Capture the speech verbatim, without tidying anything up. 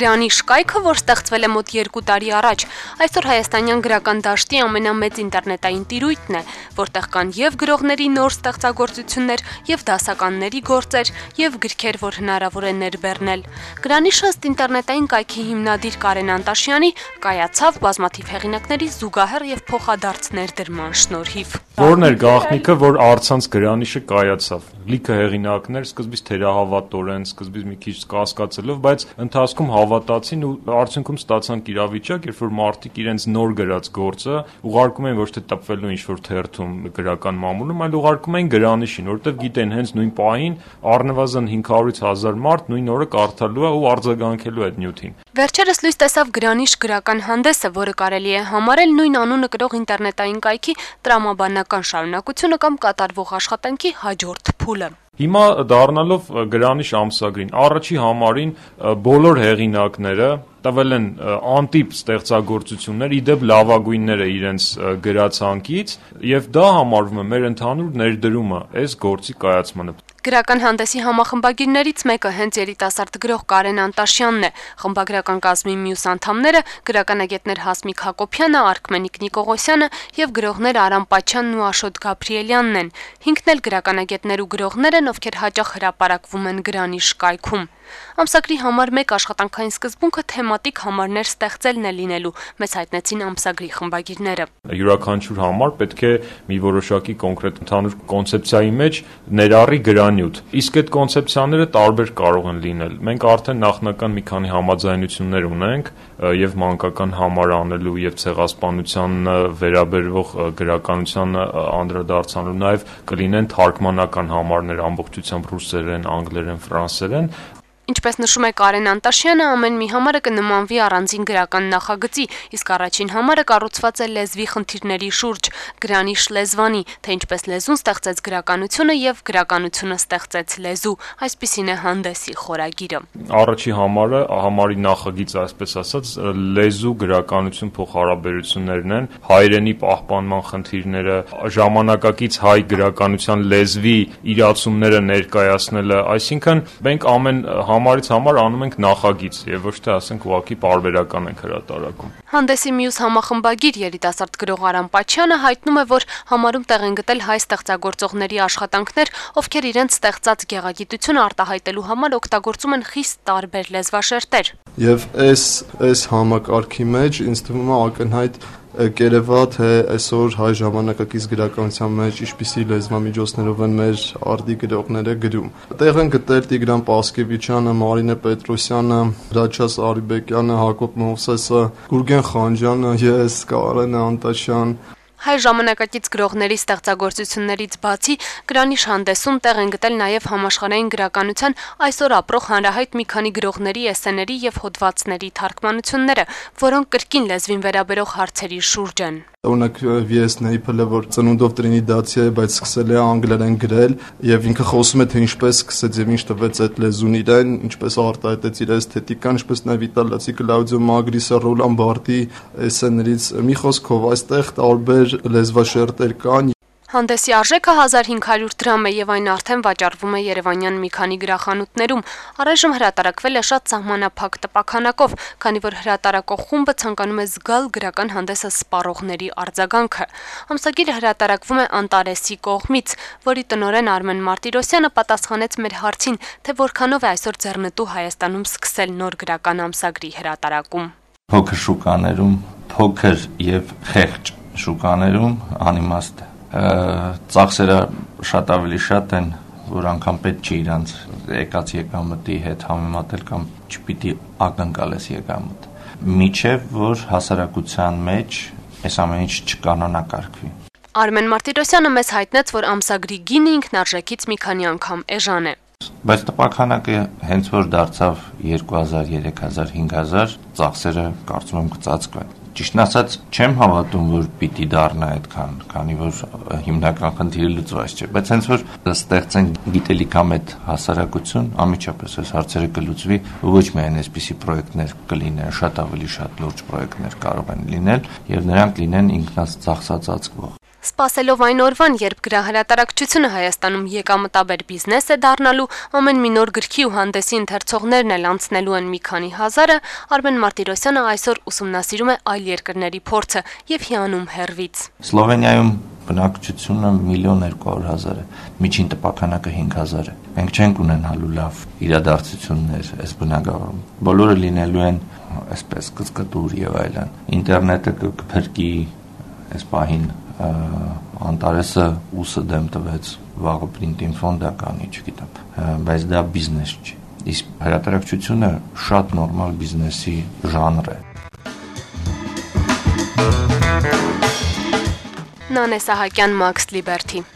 գրանի շկայքը, որ ստեղծվել է մոտ երկու տարի առաջ, այսօր հայաստանյան գրական դաշտի ամենամեծ ինտերնետային տիրույթն է, որտեղ կան եւ գրողների նոր ստեղծագործություններ, եւ դասականների գործեր, եւ գրքեր, որ հնարավոր է ներբեռնել։ Գրանիշը ըստ ինտերնետային կայքի հիմնադիր Կարեն Անտաշյանի կայացավ բազմաթիվ հեղինակների զուգահեռ եւ փոխադարձ ներդրման շնորհիվ։ Որն էր գաղտնիքը, որ առցանց գրանիշը կայացավ։ Լիքը հեղինակներ սկզբից թերահավատորեն, սկզբից մի քիչ կասկածելով, բայց ընթացքում հավատացին ու արդյունքում ստացանք իրավիճակ, երբ որ մարդիկ իրենց նոր գրած գործը ուղարկում են ոչ թե տպվելու ինչ-որ թերթում գրական մամուլում, այլ ուղարկում են գրանիշին, որովհետև գիտեն հենց նույն պահին առնվազն հինգ հարյուր հազար մարդ նույն օրը կարդալու է ու արձագանքելու այդ նյութին։ Վերջերս լույս տեսավ Գրանիշ գրական հանդեսը, որը կարելի է համարել նույն անունը կրող ինտերնետային կայքի տրամաբանական շարունակությունը կամ կատարվող աշխատանքի հաջորդ փուլը։ Հիմա դառնալով Գրանիշ ամսագրին, առաջի համարին բոլոր հեղինակները տվել են անտիպ ստեղծագործություններ, իդեպ լավագույնները իրենց գրացանկից, եւ դա համարվում է մեր ընդհանուր ներդրումը այս գործի կայացմանը։ Գրական հանդեսի համախմբագիրներից մեկը հենց երիտասարդ գրող Կարեն Անտաշյանն է։ Խմբագրական կազմի մյուս անդամները գրականագետներ Հասմիկ Հակոբյանը, Արքմենիկ Նիկողոսյանը եւ գրողներ Արամ Պաչյանն ու Աշոտ Գաբրիելյանն են։ Հինգն էլ գրականագետներ ու գրողներ են, ովքեր հաճախ հրապարակվում են Գրանիշ կայքում։ Ամսագրի համար մեկ աշխատանքային սկզբունքը թեմատիկ համարներ ստեղծելն է լինելու, մեզ հայտնեցին ամսագրի խմբագիրները։ Յուրաքանչյուր համար պետք է մի որոշակի կոնկրետ ընդհանուր կոնցեպցիայի մեջ ներառի գրանյութ։ Իսկ այդ կոնցեպցիաները տարբեր կարող են լինել։ Մենք արդեն նախնական մի քանի համաձայնություններ ունենք եւ մանկական համար անելու եւ ցեղասպանության վերաբերող գրականության անդրադարձանալու, նաեւ կլինեն թարգմանական համարներ ամբողջությամբ ռուսերեն, անգլերեն, ֆրանսերեն։ Ինչպես նշում է Կարեն Անտաշյանը, ամեն մի համարը կնմանվի առանձին գրական նախագծի, իսկ առաջին համարը կառուցված է լեզվի խնդիրների շուրջ, Գրանիշ լեզվանի, թե ինչպես լեզուն ստեղծեց գրականությունը եւ գրականությունը ստեղծեց լեզու, այսպիսին է հանդեսի խորագիրը։ Առաջի համարը, համարի նախագիծ, այսպես ասած, լեզու գրականություն փոխհարաբերություններն են, հայրենի պահպանման խնդիրները, ժամանակակից հայ գրականության լեզվի իրացումները ներկայացնելը, այսինքն մենք ամեն համարից համար անում ենք նախագիծ եւ ոչ թե ասենք ուղղակի պարբերական ենք հրատարակում։ Հանդեսի մյուս համախմբագիր երիտասարդ գրող Արամ Պաչյանը հայտնում է, որ համարում տեղ են գտել հայ ստեղծագործողների աշխատանքներ, ովքեր իրենց ստեղծած գեղագիտությունը արտահայտելու համար օգտագործում են խիստ տարբեր լեզվաշերտեր։ Եվ այս այս համակարգի մեջ ինձ թվում է ակնհայտ կերևա, թե այսօր հայ ժամանակակից գրականության մեջ ինչպիսի լեզվամիջոցներով են մեր արդի գրողները գրում։ Տեղ են գտել Տիգրան Պասկևիչյանը, Մարինե Պետրոսյանը, Հրաչյա Արիբեկյանը, Հակոբ Մովսեսը, Գուրգեն Խանջյանը, ես, Կարեն Անտաշյան։ Հայ ժամանակակից գրողների ստեղծագործություններից բացի Գրանիշ հանդեսում տեղ են գտել նաև համաշխարհային գրականության այսօր ապրող հանրահայտ մի քանի գրողների էսսեների եւ հոդվածների թարգմանությունները, որոնք կրկին լեզվին վերաբերող հարցերի շուրջ են։ Օրինակ վի էս Նեյփելը, որ ծնունդով տրինիդացիա է, բայց սկսել է անգլերեն գրել եւ ինքը խոսում է, թե ինչպես սկսեց եւ ինչ տվեց այդ լեզուն իրեն, ինչպես արտահայտեց իր էսթետիկան, ինչպես նաեւ իտալացի Կլաուդիո Մագրիսը, Ռոլան Բարտի էսսեներից։ Մի խոսքով այստեղ տարբեր լեզվաշերտեր կան։ Հանդեսի արժեքը հազար հինգ հարյուր դրամ է եւ այն արդեն վաճառվում է Երևանյան մի քանի գրախանութներում։ Առայժմ հրատարակվել է շատ սահմանափակ տպաքանակով, քանի որ հրատարակող խումբը ցանկանում է զգալ գրական հանդեսը սպառողների արձագանքը։ Ամսագիրը հրատարակվում է Անտարեսի կողմից, որի տնօրեն Արմեն Մարտիրոսյանը պատասխանեց մեր հարցին, թե որքանով է այսօր ձեռնտու Հայաստանում սկսել նոր գրական ամսագրի հրատարակում։ Փոքր շուկաներում, փոքր եւ խեղճ շուկաներում անիմաստ ծախսերը շատ ավելի շատ են, որ անգամ պետք չի իրանց եկած եկամտի հետ համեմատել կամ չպիտի ակնկալես եկամտ։ Միջև որ հասարակության մեջ այս ամեն ինչ չկանոնակարգվի։ Արմեն Մարտիրոսյանը մեզ հայտնեց, որ ամսագրի գինը ինքնարժեքից մի քանի անգամ էժան է։ Բայց տպաքանակը հենց որ դարձավ երկու հազար, երեք հազար, հինգ հազար, ծախսերը կարծում եմ կծածկվեն։ Ճիշտն ասած, չեմ հավատում, որ պիտի դառնա այդքան, քանի որ հիմնական խնդիրը լուծված չէ, բայց հենց որ ստեղծեն գիտելիքամետ հասարակություն, անմիջապես այս հարցերը կլուծվի, ոչ միայն այսպիսի պրոյեկտներ կլինեն, շատ ավելի շատ լուրջ պրոյեկտներ կարող են լինել, եւ նրանք լինեն ինքնած ծախսածածկվող։ Սպասելով այն օրվան, երբ գրահրատարակչությունը Հայաստանում եկամտաբեր բիզնես է դառնալու, ամեն մի նոր գրքի ու հանդեսի ընթերցողներն էլ անցնելու են մի քանի հազարը, Արմեն Մարտիրոսյանը այսօր ուսումնասիրում է այլ երկրների փորձը եւ հիանում հեռվից։ Սլովենիայում բնակչությունը միլիոն երկու հարյուր հազար է, միջին տպաքանակը հինգ հազար է։ Մենք չենք ունենալու լավ իրադարձություններ այս բնակավարում։ Բոլորը լինելու են այսպես կծկտուր եւ այլն։ Ինտերնետը կփրկի այս պահին Անտարեսը ուսը դեմ տվեց, վաղը պրինտին ֆոնդա կանի, չգիտեմ, բայց դա բիզնես չի։ Իսկ հրատարակչությունը շատ նորմալ բիզնեսի ժանր է։ Նանե Սահակյան, Մաքս Լիբերթի։